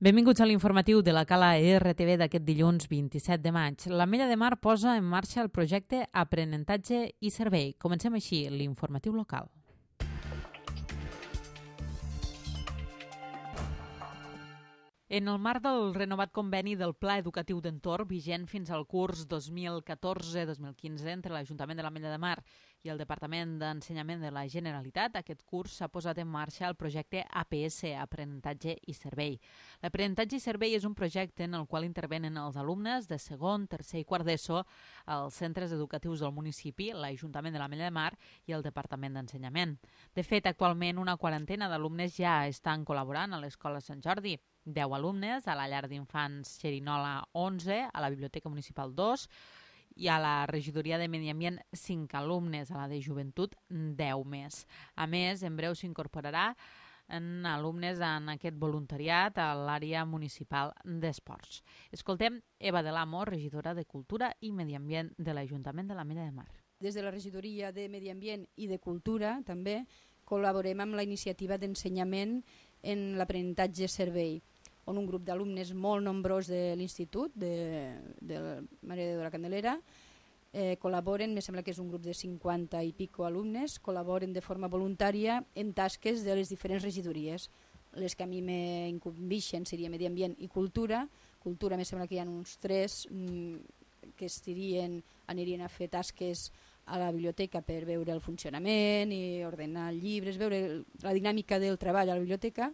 Benvinguts a l'informatiu de la Cala RTV d'aquest dilluns 27 de maig. L'Ametlla de Mar posa en marxa el projecte Aprenentatge i Servei. Comencem així l'informatiu local. En el marc del renovat conveni del Pla Educatiu d'Entorn, vigent fins al curs 2014-2015 entre l'Ajuntament de l'Ametlla de Mar i el Departament d'Ensenyament de la Generalitat, aquest curs s'ha posat en marxa el projecte APS, Aprenentatge i Servei. L'aprenentatge i servei és un projecte en el qual intervenen els alumnes de segon, tercer i quart d'ESO als centres educatius del municipi, l'Ajuntament de l'Ametlla de Mar i el Departament d'Ensenyament. De fet, actualment una quarantena d'alumnes ja estan col·laborant a l'Escola Sant Jordi, 10 alumnes, a la llar d'infants Xerinola 11, a la Biblioteca Municipal 2 i a la Regidoria de Medi Ambient 5 alumnes, a la de Joventut 10 més. A més, en breu s'incorporarà alumnes en aquest voluntariat a l'àrea municipal d'esports. Escoltem Eva de l'Amo, regidora de Cultura i Medi Ambient de l'Ajuntament de l'Ametlla de Mar. Des de la Regidoria de Medi Ambient i de Cultura també col·laborem amb la iniciativa d'ensenyament en l'aprenentatge servei, on un grup d'alumnes molt nombrós de l'Institut de Mare de Déu de la Candelera col·laboren, me sembla que és un grup de 50 i pico alumnes, col·laboren de forma voluntària en tasques de les diferents regidories. Les que a mi m'incumbixen seria Medi Ambient i Cultura. Cultura me sembla que hi ha uns 3 que anirien a fer tasques a la biblioteca per veure el funcionament i ordenar llibres, veure la dinàmica del treball a la biblioteca,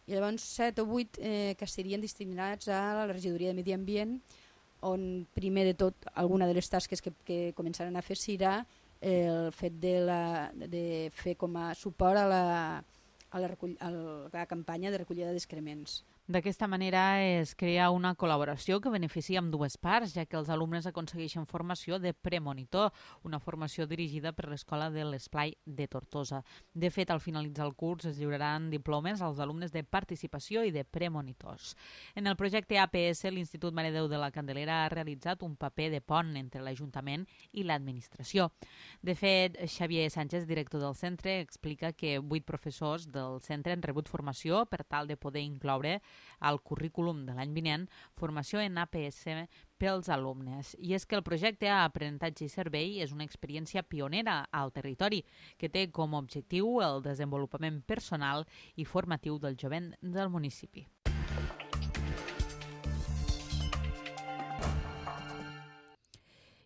i llavors 7 o 8 que serien destinats a la Regidoria de Medi Ambient, on primer de tot alguna de les tasques que començaran a fer serà el fet de fer com a suport a la campanya de recollida d'excrements. D'aquesta manera es crea una col·laboració que beneficia amb dues parts, ja que els alumnes aconsegueixen formació de premonitor, una formació dirigida per l'Escola de l'Esplai de Tortosa. De fet, al finalitzar el curs es lliuraran diplomes als alumnes de participació i de premonitors. En el projecte APS, l'Institut Mare de Déu de la Candelera ha realitzat un paper de pont entre l'Ajuntament i l'administració. De fet, Xavier Sánchez, director del centre, explica que 8 professors del centre han rebut formació per tal de poder incloure al currículum de l'any vinent formació en APS pels alumnes. I és que el projecte Aprenentatge i Servei és una experiència pionera al territori que té com a objectiu el desenvolupament personal i formatiu del jovent del municipi.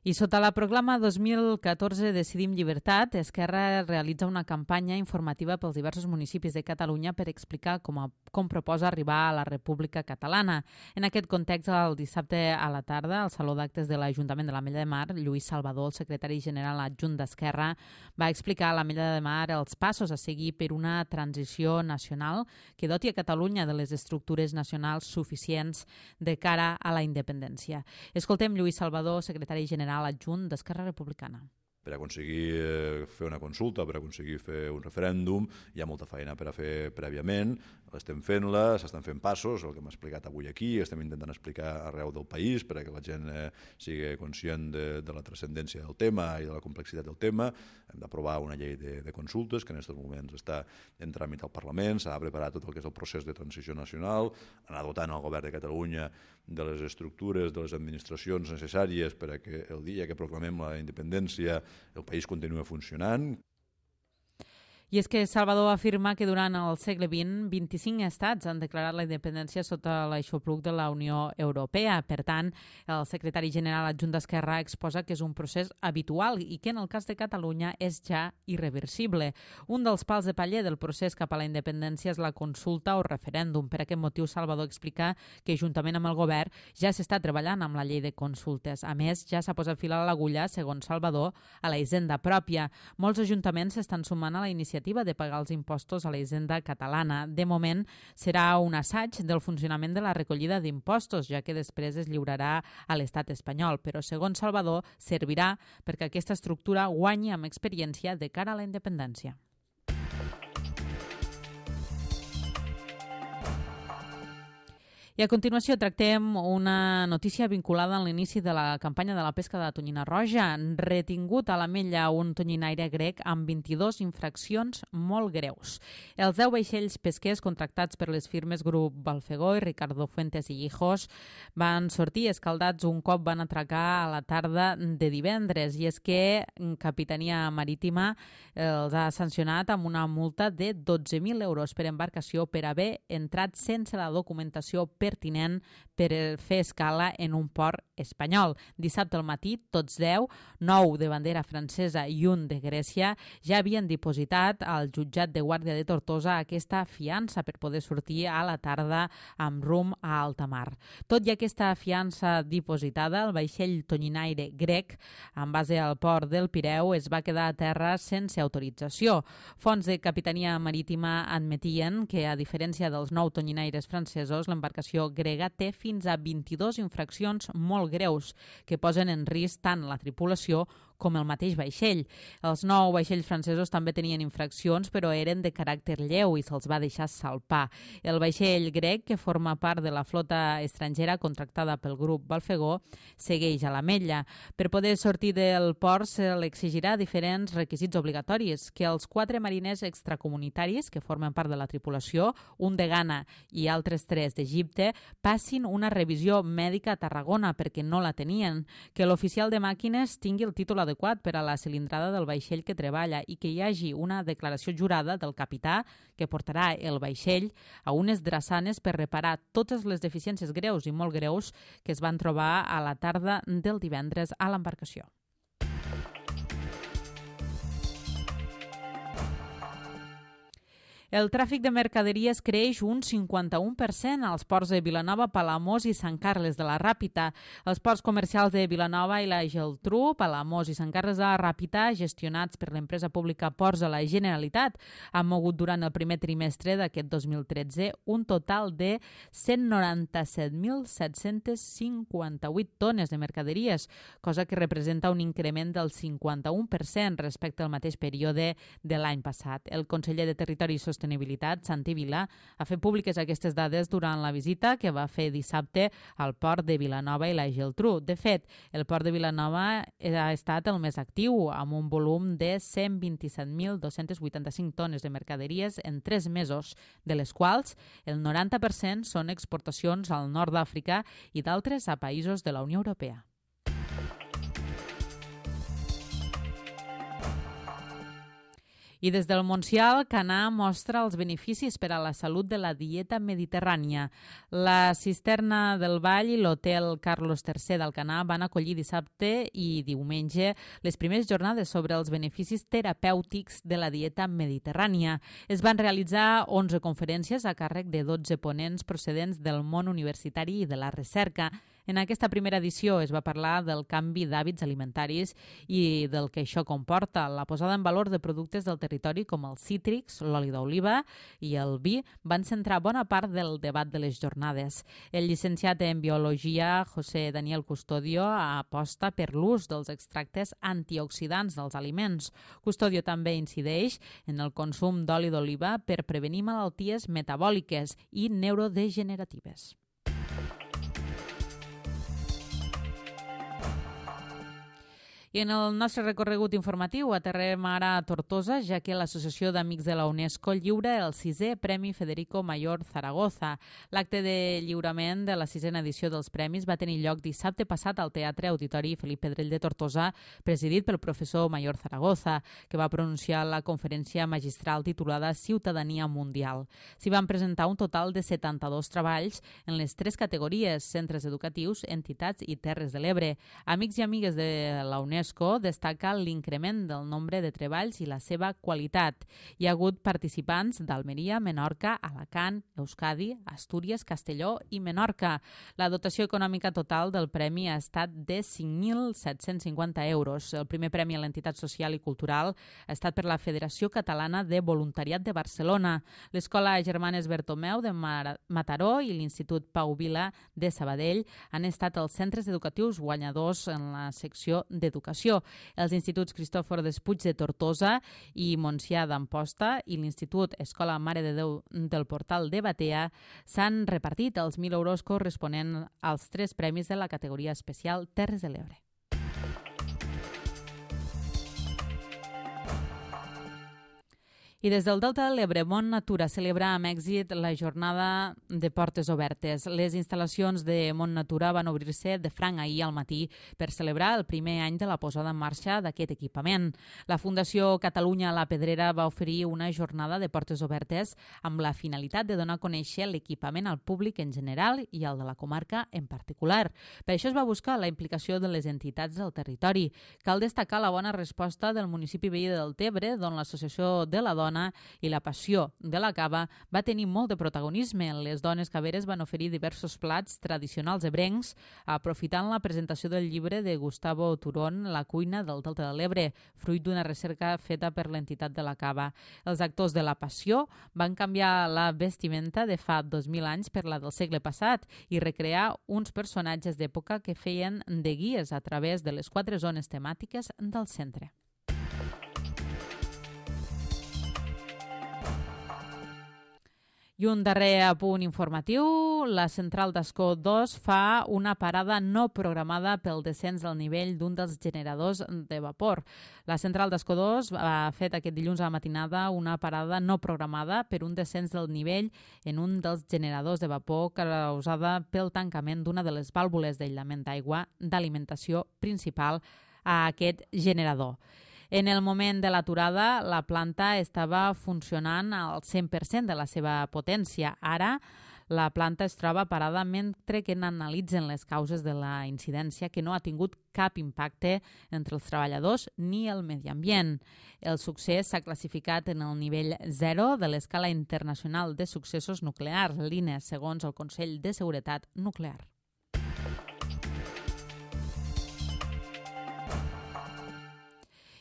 I sota la proclama 2014 Decidim Llibertat, Esquerra realitza una campanya informativa pels diversos municipis de Catalunya per explicar com proposa arribar a la República Catalana. En aquest context, el dissabte a la tarda, al Saló d'Actes de l'Ajuntament de l'Ametlla de Mar, Lluís Salvador, el secretari general adjunt d'Esquerra, va explicar a l'Ametlla de Mar els passos a seguir per una transició nacional que doti a Catalunya de les estructures nacionals suficients de cara a la independència. Escoltem Lluís Salvador, secretari general adjunt d'Esquerra Republicana. Per aconseguir fer una consulta, per aconseguir fer un referèndum, hi ha molta feina per a fer prèviament, estem fent-la, s'estan fent passos, el que hem explicat avui aquí, estem intentant explicar arreu del país perquè la gent sigui conscient de la transcendència del tema i de la complexitat del tema. Hem d'aprovar una llei de consultes que en aquests moments està en tràmit al Parlament, s'ha de preparar tot el que és el procés de transició nacional, anar dotant el govern de Catalunya de les estructures, de les administracions necessàries per a que el dia que proclamem la independència el país continua funcionant. I és que Salvador afirma que durant el segle XX, 25 estats han declarat la independència sota l'aixopluc de la Unió Europea. Per tant, el secretari general adjunt d'Esquerra exposa que és un procés habitual i que en el cas de Catalunya és ja irreversible. Un dels pals de paller del procés cap a la independència és la consulta o referèndum. Per aquest motiu, Salvador explica que juntament amb el govern ja s'està treballant amb la llei de consultes. A més, ja s'ha posat fil a l'agulla, segons Salvador, a la hisenda pròpia. Molts ajuntaments s'estan sumant a la iniciativa de pagar els impostos a la hisenda catalana. De moment, serà un assaig del funcionament de la recollida d'impostos, ja que després es lliurarà a l'estat espanyol. Però, segons Salvador, servirà perquè aquesta estructura guanyi amb experiència de cara a la independència. I a continuació tractem una notícia vinculada a l'inici de la campanya de la pesca de la tonyina roja. Retingut a l'Ametlla un tonyinaire grec amb 22 infraccions molt greus. Els 10 vaixells pesquers contractats per les firmes Grup Balfegó i Ricardo Fuentes i Hijos van sortir escaldats un cop van atracar a la tarda de divendres. I és que Capitania Marítima els ha sancionat amb una multa de 12.000 euros per embarcació per haver entrat sense la documentació pertinent per fer escala en un port espanyol. Dissabte al matí, tots 10, 9 de bandera francesa i un de Grècia, ja havien dipositat al jutjat de Guàrdia de Tortosa aquesta fiança per poder sortir a la tarda amb rumb a alta mar. Tot i aquesta fiança dipositada, el vaixell tonyinaire grec, en base al port del Pireu, es va quedar a terra sense autorització. Fonts de Capitania Marítima admetien que, a diferència dels 9 tonyinaires francesos, l'embarcació grega té fins a 22 infraccions molt greus que posen en risc tant la tripulació com el mateix vaixell. Els 9 vaixells francesos també tenien infraccions, però eren de caràcter lleu i se'ls va deixar salpar. El vaixell grec, que forma part de la flota estrangera contractada pel grup Balfegó, segueix a l'Ametlla. Per poder sortir del port se l'exigirà diferents requisits obligatoris, que els 4 mariners extracomunitaris que formen part de la tripulació, un de Ghana i altres 3 d'Egipte, passin una revisió mèdica a Tarragona perquè no la tenien, que l'oficial de màquines tingui el títol adequat per a la cilindrada del vaixell que treballa i que hi hagi una declaració jurada del capità que portarà el vaixell a unes drassanes per reparar totes les deficiències greus i molt greus que es van trobar a la tarda del divendres a l'embarcació. El tràfic de mercaderies creix un 51% als ports de Vilanova, Palamós i Sant Carles de la Ràpita. Els ports comercials de Vilanova i la Geltrú, Palamós i Sant Carles de la Ràpita, gestionats per l'empresa pública Ports de la Generalitat, han mogut durant el primer trimestre d'aquest 2013 un total de 197.758 tones de mercaderies, cosa que representa un increment del 51% respecte al mateix període de l'any passat. El conseller de Territori i Sostenibilitat, Santi Vila, ha fet públiques aquestes dades durant la visita que va fer dissabte al port de Vilanova i la Geltrú. De fet, el port de Vilanova ha estat el més actiu, amb un volum de 127.285 tones de mercaderies en 3 mesos, de les quals el 90% són exportacions al nord d'Àfrica i d'altres a països de la Unió Europea. I des del Montsià, Canà mostra els beneficis per a la salut de la dieta mediterrània. La Cisterna del Vall i l'Hotel Carlos III d'Alcanar van acollir dissabte i diumenge les primeres jornades sobre els beneficis terapèutics de la dieta mediterrània. Es van realitzar 11 conferències a càrrec de 12 ponents procedents del món universitari i de la recerca. En aquesta primera edició es va parlar del canvi d'hàbits alimentaris i del que això comporta. La posada en valor de productes del territori com els cítrics, l'oli d'oliva i el vi van centrar bona part del debat de les jornades. El llicenciat en Biologia, José Daniel Custodio, aposta per l'ús dels extractes antioxidants dels aliments. Custodio també incideix en el consum d'oli d'oliva per prevenir malalties metabòliques i neurodegeneratives. I en el nostre recorregut informatiu aterrem ara a Tortosa, ja que l'Associació d'Amics de la UNESCO lliura el 6è Premi Federico Mayor Zaragoza. L'acte de lliurament de la 6a edició dels premis va tenir lloc dissabte passat al Teatre Auditori Felip Pedrell de Tortosa, presidit pel professor Mayor Zaragoza, que va pronunciar la conferència magistral titulada Ciutadania Mundial. S'hi van presentar un total de 72 treballs en les 3 categories: centres educatius, entitats i terres de l'Ebre. Amics i amigues de la UNESCO destaca l'increment del nombre de treballs i la seva qualitat. Hi ha hagut participants d'Almeria, Menorca, Alacant, Euskadi, Astúries, Castelló i Menorca. La dotació econòmica total del premi ha estat de 5.750 euros. El primer premi a l'entitat social i cultural ha estat per la Federació Catalana de Voluntariat de Barcelona, l'Escola Germanes Bertomeu de Mataró i l'Institut Pau Vila de Sabadell han estat els centres educatius guanyadors en la secció d'educació d'Educació. Els instituts Cristòfor Despuig de Tortosa i Montsià d'Amposta i l'Institut Escola Mare de Déu del Portal de Batea s'han repartit els 1.000 euros corresponents als 3 premis de la categoria especial Terres de l'Ebre. I des del Delta de l'Ebre, Mont Natura celebra amb èxit la jornada de portes obertes. Les instal·lacions de Mont Natura van obrir-se de franc ahir al matí per celebrar el primer any de la posada en marxa d'aquest equipament. La Fundació Catalunya La Pedrera va oferir una jornada de portes obertes amb la finalitat de donar a conèixer l'equipament al públic en general i al de la comarca en particular. Per això es va buscar la implicació de les entitats del territori. Cal destacar la bona resposta del municipi veí de Deltebre, d'on l'Associació de la Dona i la Passió de la Cava va tenir molt de protagonisme. Les dones caveres van oferir diversos plats tradicionals ebrencs, aprofitant la presentació del llibre de Gustavo Turón, La cuina del Delta de l'Ebre, fruit d'una recerca feta per l'entitat de la Cava. Els actors de la Passió van canviar la vestimenta de fa 2.000 anys per la del segle passat i recrear uns personatges d'època que feien de guies a través de les 4 zones temàtiques del centre. I un darrer apunt informatiu, la central d'Ascó 2 fa una parada no programada pel descens del nivell d'un dels generadors de vapor. La central d'Ascó 2 ha fet aquest dilluns a la matinada una parada no programada per un descens del nivell en un dels generadors de vapor causada pel tancament d'una de les vàlvules d'aïllament d'aigua d'alimentació principal a aquest generador. En el moment de l'aturada, la planta estava funcionant al 100% de la seva potència. Ara, la planta es troba parada mentre que n'analitzen les causes de la incidència, que no ha tingut cap impacte entre els treballadors ni el medi ambient. El succés s'ha classificat en el nivell 0 de l'escala internacional de successos nuclears, l'INE, segons el Consell de Seguretat Nuclear.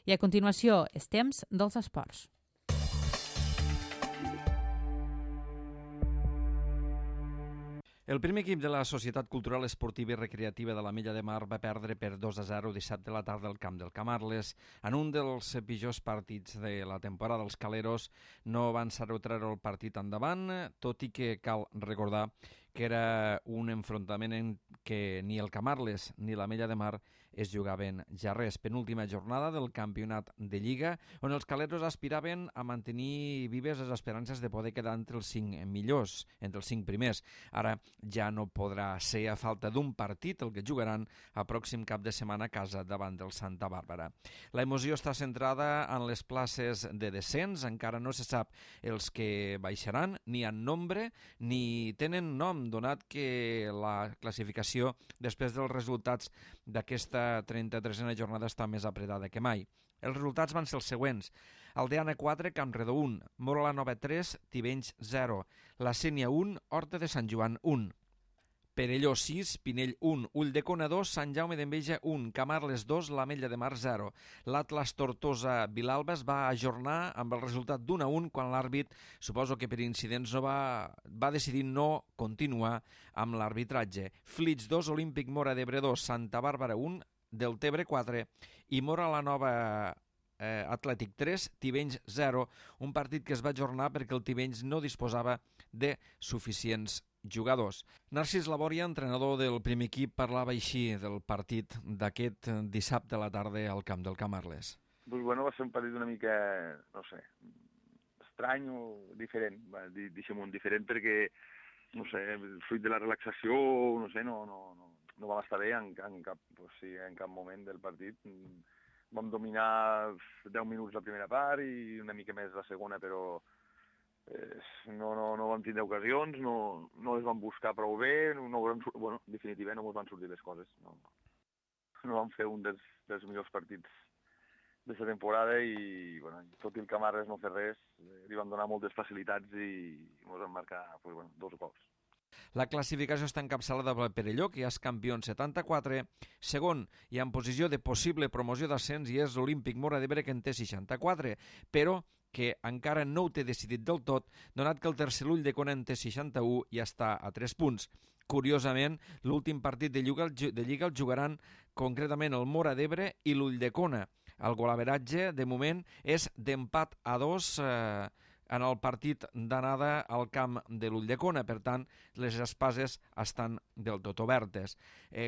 I a continuació, és temps dels esports. El primer equip de la Societat Cultural Esportiva i Recreativa de l'Ametlla de Mar va perdre per 2-0 dissabte a la tarda al camp del Camarles. En un dels pitjors partits de la temporada, els caleros no van saber treure el partit endavant, tot i que cal recordar que era un enfrontament en què ni el Camarles ni l'Ametlla de Mar es jugaven ja res. Penúltima jornada del campionat de Lliga, on els caleros aspiraven a mantenir vives les esperances de poder quedar entre els 5 millors, entre els 5 primers. Ara ja no podrà ser a falta d'un partit el que jugaran el pròxim cap de setmana a casa davant del Santa Bàrbara. La emoció està centrada en les places de descens, encara no se sap els que baixaran, ni en nombre, ni tenen nom, donat que la classificació després dels resultats d'aquesta 33a jornada està més apretada que mai. Els resultats van ser els següents. Aldeana 4, Campredó 1, Móra la Nova 3, Tivenys 0, La Sénia 1, Horta de Sant Joan 1, Perelló 6, Pinell 1, Ulldecona 2, Sant Jaume d'Enveja 1, Camarles 2, l'Ametlla de Mar 0. L'Atlas Tortosa Vilalba es va ajornar amb el resultat d'1-1 quan l'àrbit, suposo que per incidents, va decidir no continuar amb l'arbitratge. Flix 2, Olímpic Mora d'Ebre 2, Santa Bàrbara 1, Deltebre 4 i Móra la Nova Atlètic 3, Tivenys 0, un partit que es va ajornar perquè el Tivenys no disposava de suficients jugadors. Narcís Labòria, entrenador del primer equip, parlava així del partit d'aquest dissabte a la tarda al camp del Camarles. Pues bueno, va ser un partit una mica, no sé, estrany o diferent, deixem-ho diferent perquè, no sé, fruit de la relaxació, no sé, no vam estar bé en cap moment del partit. Vam dominar 10 minuts la primera part i una mica més la segona, però no vam tindre ocasions, no les vam buscar prou bé, bueno, definitivament no ens van sortir les coses. No vam fer un dels millors partits d'aquesta temporada i, bueno, tot i el Camarles no fer res, li van donar moltes facilitats i ens van marcar 2 gols. La classificació està encapçalada per Perelló, que ja és campió en 74. Segon, i en posició de possible promoció d'ascens, i és l'Olímpic Mora d'Ebre, que en té 64. Però que encara no ho té decidit del tot, donat que el tercer l'Ulldecona en té 61 i està a 3 punts. Curiosament, l'últim partit de Lliga el jugaran concretament el Móra d'Ebre i l'Ulldecona. El golaveratge, de moment, és d'empat a 2 en el partit d'anada al camp de l'Ulldecona. Per tant, les espases estan del tot obertes.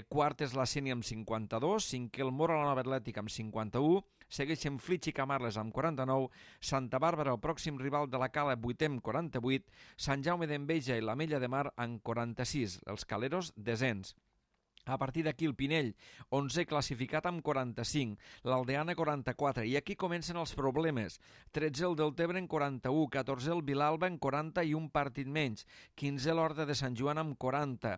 Quart és la Sénia amb 52, cinquè el Móra la Nova Atlètic amb 51, segueixen Flix i Camarles amb 49, Santa Bàrbara, el pròxim rival de la Cala, 8è amb 48, Sant Jaume d'Enveja i l'Ametlla de Mar amb 46, els Caleros desens. A partir d'aquí el Pinell, 11è classificat amb 45, l'Aldeana 44, i aquí comencen els problemes. 13è el Deltebre en 41, 14è el Vilalba en 40 i un partit menys, 15è l'Horta de Sant Joan amb 40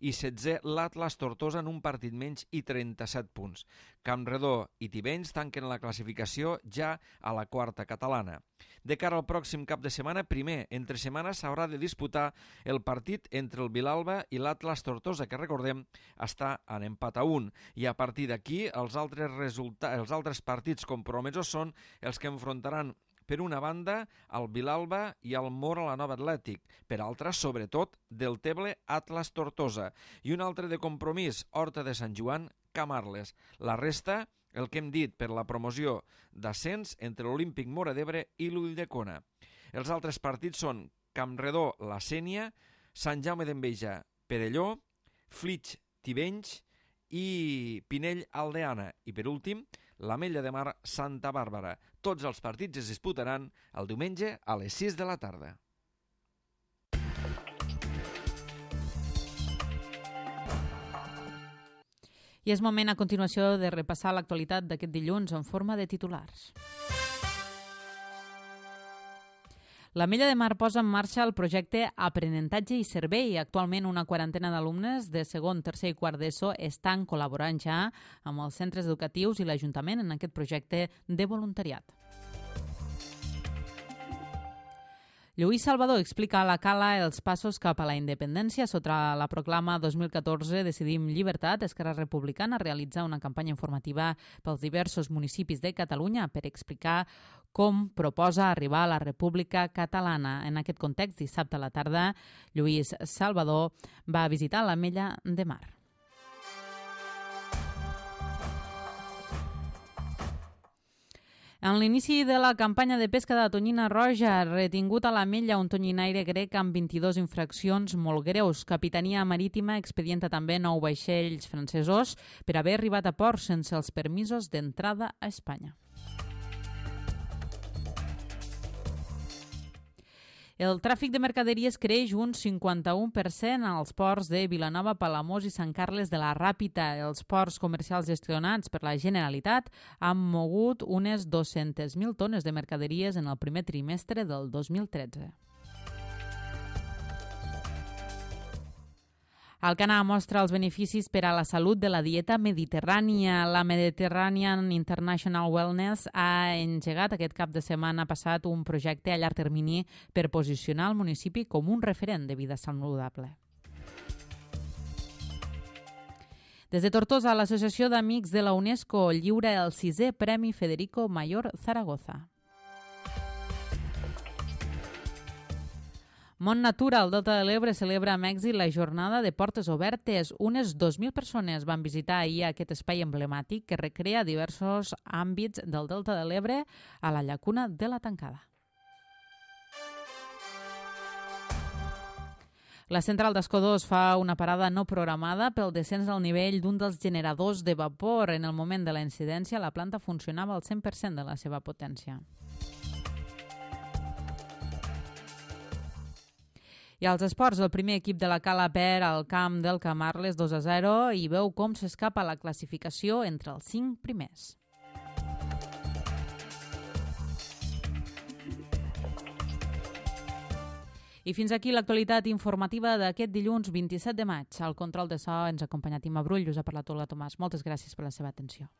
i 16è l'Atlas Tortosa en un partit menys i 37 punts. Campredó i Tivenys tanquen la classificació ja a la quarta catalana. De cara al pròxim cap de setmana, primer, entre setmanes s'haurà de disputar el partit entre el Vilalba i l'Atlas Tortosa, que recordem està en empat a 1, i a partir d'aquí els altres partits compromesos són els que enfrontaran per una banda el Vilalba i el Móra la Nova Atlètic, per altra, sobretot, Deltebre Atlas Tortosa, i un altre de compromís, Horta de Sant Joan Camarles. La resta, el que hem dit per la promoció d'ascens entre l'Olímpic Móra d'Ebre i l'Ulldecona. Els altres partits són Campredó la Sénia, Sant Jaume d'Enveja Perelló, Flix Tivenys i Pinell Aldeana, i per últim l'Ametlla de Mar Santa Bàrbara. Tots els partits es disputaran el diumenge a les 6 de la tarda. I és moment a continuació de repassar l'actualitat d'aquest dilluns en forma de titulars. L'Ametlla de Mar posa en marxa el projecte Aprenentatge i Servei. Actualment una quarantena d'alumnes de segon, tercer i quart d'ESO estan col·laborant ja amb els centres educatius i l'Ajuntament en aquest projecte de voluntariat. Lluís Salvador explica a la Cala els passos cap a la independència. Sota la proclama 2014 Decidim Llibertat, Esquerra Republicana realitza una campanya informativa pels diversos municipis de Catalunya per explicar com proposa arribar a la República Catalana. En aquest context, dissabte a la tarda, Lluís Salvador va visitar l'Ametlla de Mar. En l'inici de la campanya de pesca de la tonyina roja, retingut a l'Ametlla un tonyinaire grec amb 22 infraccions molt greus. Capitania Marítima expedienta també 9 vaixells francesos per haver arribat a port sense els permisos d'entrada a Espanya. El tràfic de mercaderies creix un 51% als ports de Vilanova, Palamós i Sant Carles de la Ràpita. Els ports comercials gestionats per la Generalitat han mogut unes 200.000 tones de mercaderies en el primer trimestre del 2013. Alcanar mostra els beneficis per a la salut de la dieta mediterrània. La Mediterranean International Wellness ha engegat aquest cap de setmana passat un projecte a llarg termini per posicionar el municipi com un referent de vida saludable. Des de Tortosa, l'Associació d'Amics de la UNESCO lliura el 6è Premi Federico Mayor Zaragoza. Mont Natura, al Delta de l'Ebre, celebra amb èxit la jornada de portes obertes. Unes 2.000 persones van visitar ahir aquest espai emblemàtic que recrea diversos àmbits del Delta de l'Ebre a la llacuna de la Tancada. La central d'Escó 2 fa una parada no programada pel descens del nivell d'un dels generadors de vapor. En el moment de la incidència, la planta funcionava al 100% de la seva potència. I als esports, el primer equip de la Cala perd al camp del Camarles 2-0 i veu com s'escapa la classificació entre els 5 primers. I fins aquí l'actualitat informativa d'aquest dilluns 27 de maig. Al control de so ens ha acompanyat Imma Brull, us ha parlat Olga Tomàs. Moltes gràcies per la seva atenció.